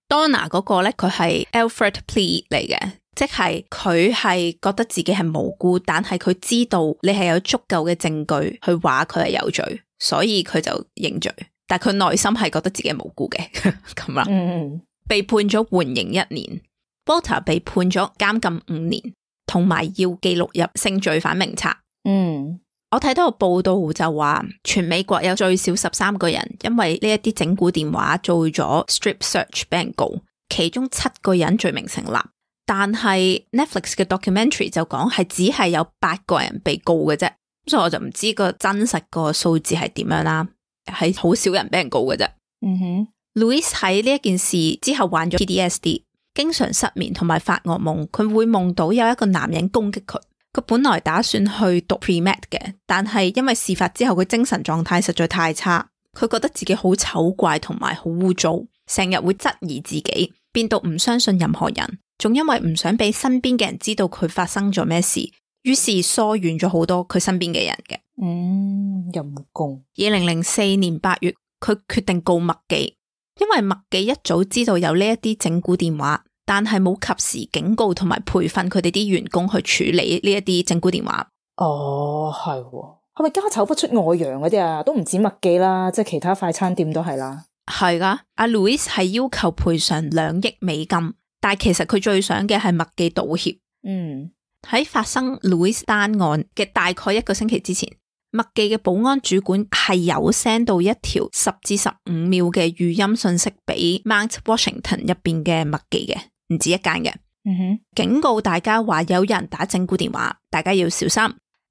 Speaker 1: Donna 嗰個咧，佢係 Alfred plea 嚟嘅，即係佢係覺得自己係無辜，但係佢知道你係有足夠嘅證據去話佢係有罪，所以佢就認罪。但佢內心係覺得自己係無辜嘅咁啦。被判咗緩刑1年。Walter 被判咗監禁5年，同埋要記錄入性罪犯名冊。我睇到個報道就話，全美國有最少13個人因為呢一啲整蠱電話做咗 strip search 俾人告，其中7個人罪名成立。但係 Netflix 嘅 documentary 就講係只係有8個人被告嘅啫，所以我就唔知個真實個數字係點樣啦，係好少人俾人告嘅啫。Louis 喺呢一件事之後患咗 PTSD， 經常失眠同埋發噩夢，佢會夢到有一個男人攻擊佢。佢本來打算去讀 pre-med 嘅，但係因為事發之後佢精神狀態實在太差，佢覺得自己好醜怪同埋好污糟，成日會質疑自己，變到唔相信任何人，仲因為唔想俾身邊嘅人知道佢發生咗咩事，於是疏遠咗好多佢身邊嘅人嘅。
Speaker 2: 陰公。
Speaker 1: 2004年8月，佢決定告麥記，因為麥記一早知道有呢一啲整蠱電話，但係冇及時警告同埋培訓佢哋啲員工去處理呢一啲整蠱電話。
Speaker 2: 係喎，係咪家醜不出外揚嗰啲啊？都唔止麥記啦，即係其他快餐店都係啦。
Speaker 1: 係噶，阿 Louis 係要求賠償2億美金，但係其實佢最想嘅係麥記道歉。喺發生 Louis 單案嘅大概1個星期之前，麥記嘅保安主管係有 send 到一條10至15秒嘅語音信息俾 Mount Washington 入邊嘅麥記嘅，唔止一間嘅。警告大家話有人打整蠱電話，大家要小心。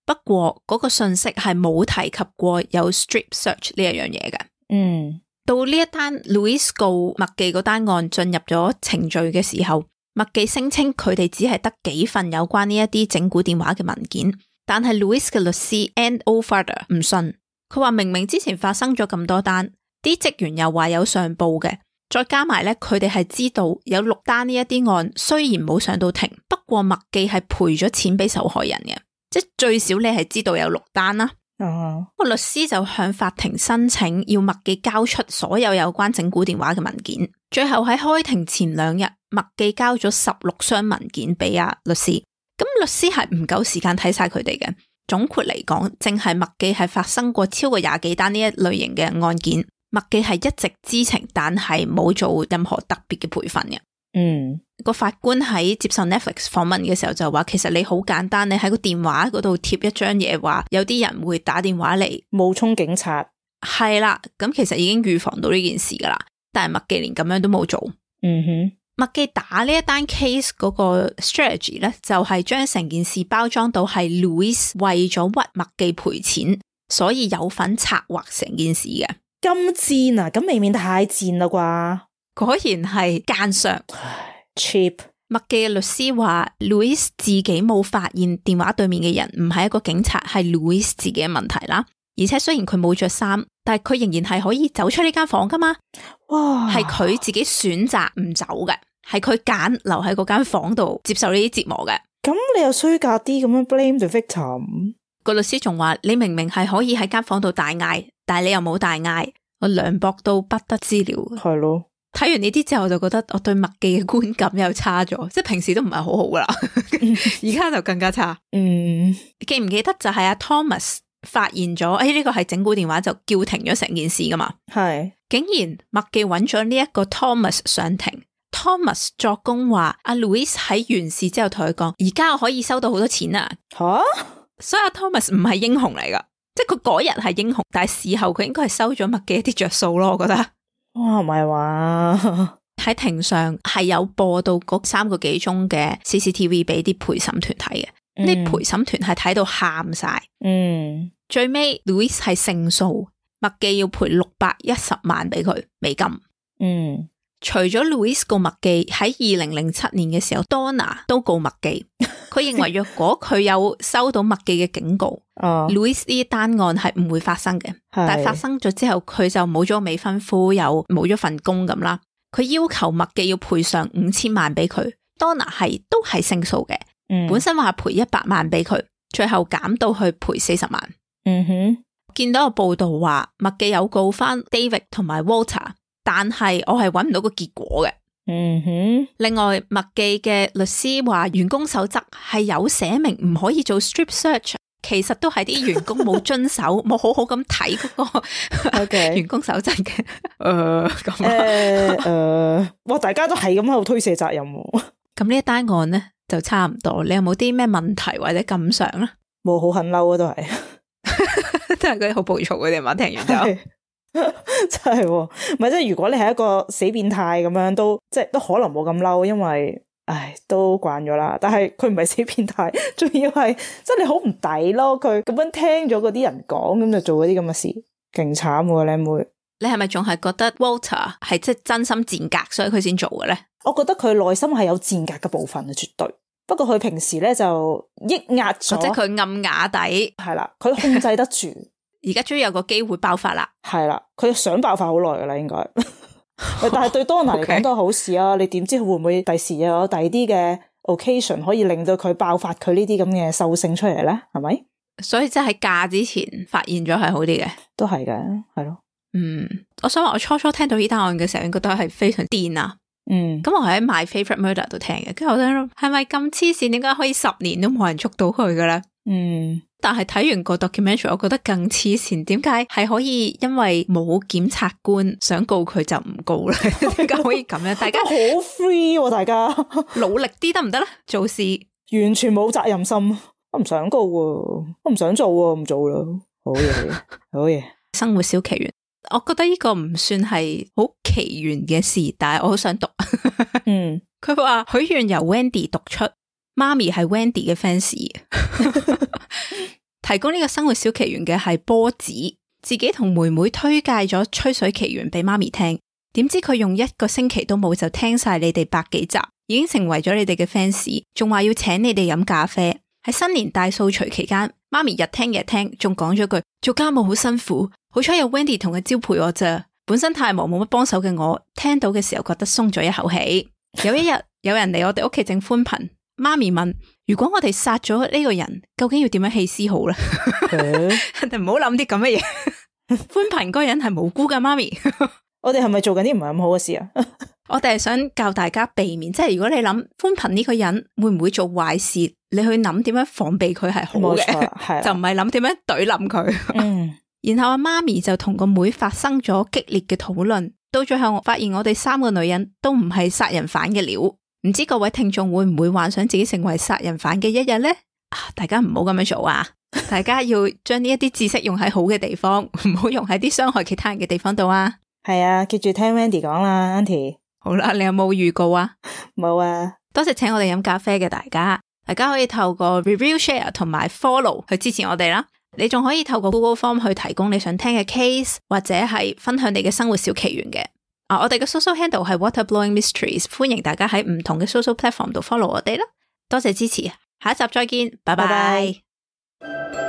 Speaker 1: 不過嗰個信息係冇提及過有 strip search 呢一樣嘢嘅。到呢一單 Louis 告麥記嗰單案進入咗程序嘅時候，麥記聲稱佢哋只係得幾份有關呢一啲整蠱電話嘅文件，但係 Louis 嘅律師 Ann O'Farder 唔信，佢話明明之前發生咗咁多單，啲職員又話有上報嘅，再加埋咧佢哋係知道有6單呢一啲案，雖然冇上到庭，不過麥記係賠咗錢俾受害人嘅，即係最少你係知道有6單啦。個律師就向法庭申請要麥記交出所有有關整蠱電話嘅文件，最後喺開庭前2日，麥記交咗16箱文件俾阿律師。咁律師係唔夠時間睇晒佢哋嘅。總括嚟講，淨係麥記係發生過超過20幾單呢一類型嘅案件，麥記係一直知情，但係冇做任何特別嘅培訓嘅。個法官喺接受 Netflix 訪問嘅時候就話，其實你好簡單，你喺個電話嗰度貼一張嘢，話有啲人會打電話嚟
Speaker 2: 冒充警察，係
Speaker 1: 啦，咁其實已經預防到呢件事噶啦。但係麥記連咁樣都冇做。麥記打呢一單 case 嗰個 strategy 咧，就係將成件事包裝到係 Louis 為咗屈麥記賠錢，所以有份策劃成件事嘅。
Speaker 2: 咁賤啊！咁未免太賤啦啩？
Speaker 1: 果然係奸商
Speaker 2: cheap。
Speaker 1: 麥記嘅律師話 Louis 自己冇發現電話對面嘅人唔係一個警察，係 Louis 自己嘅問題啦。而且雖然佢冇着衫，但係佢仍然係可以走出呢間房噶嘛。哇！係佢自己選擇唔走嘅，係佢揀留喺嗰間房度接受呢啲折磨嘅。
Speaker 2: 咁你又衰格啲咁樣 blame the victim？
Speaker 1: 個律師仲話，你明明係可以喺間房度大嗌，但係你又冇大嗌，我涼薄到不得之了。
Speaker 2: 係咯。睇
Speaker 1: 完呢啲之後，我就覺得我對麥記嘅觀感又差咗，即係平時都唔係好好噶啦，而家就更加差。記唔記得就係阿 Thomas 發現咗，呢個係整蠱電話，就叫停咗成件事噶嘛？係，竟然麥記揾咗呢一個 Thomas 上庭 ，Thomas 作供話阿 Louis 喺完事之後同佢講，而家我可以收到好多錢啊！吓，所以阿 Thomas 唔係英雄嚟噶，即係佢嗰日係英雄，但係事後佢應該係收咗麥記一啲着數咯，我覺得。哇，唔係話喺庭上係有播到嗰3個幾鐘嘅 CCTV 俾啲陪審團睇嘅，啲陪審團係睇到喊晒。最尾 Louis 係勝訴，麥記要賠610萬俾佢美金。除咗 Louis 告麥記，喺2007年嘅時候 Donna 都告麥記。佢認為若果佢有收到麥記嘅警告，Louis 呢單案係唔會發生嘅。但係發生咗之後，佢就冇咗未婚夫，又冇咗份工咁啦。佢要求麥記要賠償5000萬俾佢。Donna 都係勝訴嘅，本身話賠100萬俾佢，最後減到去賠40萬。見到個報道話麥記有告翻 David 同埋 Walter， 但係我係搵唔到個結果嘅。另外麥記嘅律師話員工守則係有寫明唔可以做 strip search，其實都係啲員工冇遵守，冇好好咁睇嗰個員工守則嘅。
Speaker 2: 哇！大家都係咁喺度推卸責任。
Speaker 1: 咁呢一單案咧就差唔多。你有冇啲咩問題或者感想咧？
Speaker 2: 冇，好很嬲啊，都係，
Speaker 1: 都係嗰啲好暴躁嗰啲嘛。聽完之後，
Speaker 2: 真係，唔係即係如果你係一個死變態咁樣，都即係都可能冇咁嬲，因為都慣咗啦。但係佢唔係死變態，仲要係即係你好唔抵咯。佢咁樣聽咗嗰啲人講，咁就做嗰啲咁嘅事，勁慘喎，靚妹。
Speaker 1: 你係咪仲係覺得 Walter 係即係真心賤格，所以佢先做嘅咧？
Speaker 2: 我覺得佢內心係有賤格嘅部分啊，絕對。不過佢平時咧就抑壓咗，
Speaker 1: 即係佢暗啞底，
Speaker 2: 係啦，佢控制得住。
Speaker 1: 而家終於有個機會爆發啦，
Speaker 2: 係啦，佢想爆發好耐噶啦，應該。但係對 Donna 嚟講都係好事啊！你點知會唔會第時又有第二啲嘅 occasion 可以令到佢爆發佢呢啲咁嘅獸性出嚟咧？係咪？所以
Speaker 1: 即係喺嫁之前發現咗係好啲嘅，
Speaker 2: 都係嘅，係咯。
Speaker 1: 我想話我初聽到呢單案嘅時候，應該覺得係非常癲啊。咁我係喺 My Favorite Murder 度聽嘅，跟住我諗係咪咁黐線？點解可以10年都冇人捉到佢嘅咧？但係睇完個 documentary，我覺得更黐線。點解係可以因為冇檢察官想告佢就唔告咧？點解可以咁樣？大家好
Speaker 2: free 喎，大家
Speaker 1: 努力啲得唔得咧？做事
Speaker 2: 完全冇責任心，我唔想告喎，我唔想做喎，唔做啦。好嘢，好嘢。
Speaker 1: 生活小奇緣。我覺得呢個唔算係好奇緣嘅事，但係我好想讀。佢話許願由 Wendy 讀出，媽咪係 Wendy 嘅 fans。提供呢個生活小奇緣嘅係波子，自己同妹妹推介咗吹水奇緣俾媽咪聽，點知佢用1個星期都冇就聽晒你哋100幾集，已經成為咗你哋嘅 fans， 仲話要請你哋飲咖啡。喺新年大掃除期間，媽咪日聽夜聽，仲講咗句做家務好辛苦，好彩有 Wendy 同佢招陪我咋。本身太忙冇乜幫手嘅我，聽到嘅時候覺得鬆咗一口氣。有一日有人嚟我哋屋企整寬頻，媽咪問：如果我哋殺咗呢個人，究竟要點樣棄屍好咧？人哋唔好諗啲咁嘅嘢。寬頻嗰個人係無辜噶，媽咪。
Speaker 2: 我哋係咪做緊啲唔係咁好嘅事啊？
Speaker 1: 我哋係想教大家避免，即係如果你諗寬頻呢個人會唔會做壞事，你去諗點樣防備佢係好嘅，就唔係諗點樣懟冧佢。然後阿媽咪就同個妹發生咗激烈嘅討論，到最後我發現我哋3個女人都唔係殺人犯嘅料。唔知各位聽眾會唔會幻想自己成為殺人犯嘅一日呢？大家唔好咁樣做啊！大家要將呢一啲知識用喺好嘅地方，唔好用喺啲傷害其他人嘅地方度啊！
Speaker 2: 係啊，記住聽 Wendy 講啦 ，Auntie。
Speaker 1: 好啦，你有冇預告啊？
Speaker 2: 冇啊！
Speaker 1: 多謝請我哋飲咖啡嘅大家，大家可以透過 review、share 同埋 follow 去支持我哋啦。你仲可以透過 Google Form 去提供你想聽嘅 case， 或者係分享你嘅生活小奇緣嘅。我哋嘅 social handle 係 Waterblowing Mysteries， 歡迎大家喺唔同嘅 social platform 度 follow 我哋啦。多謝支持，下一集再見，拜拜。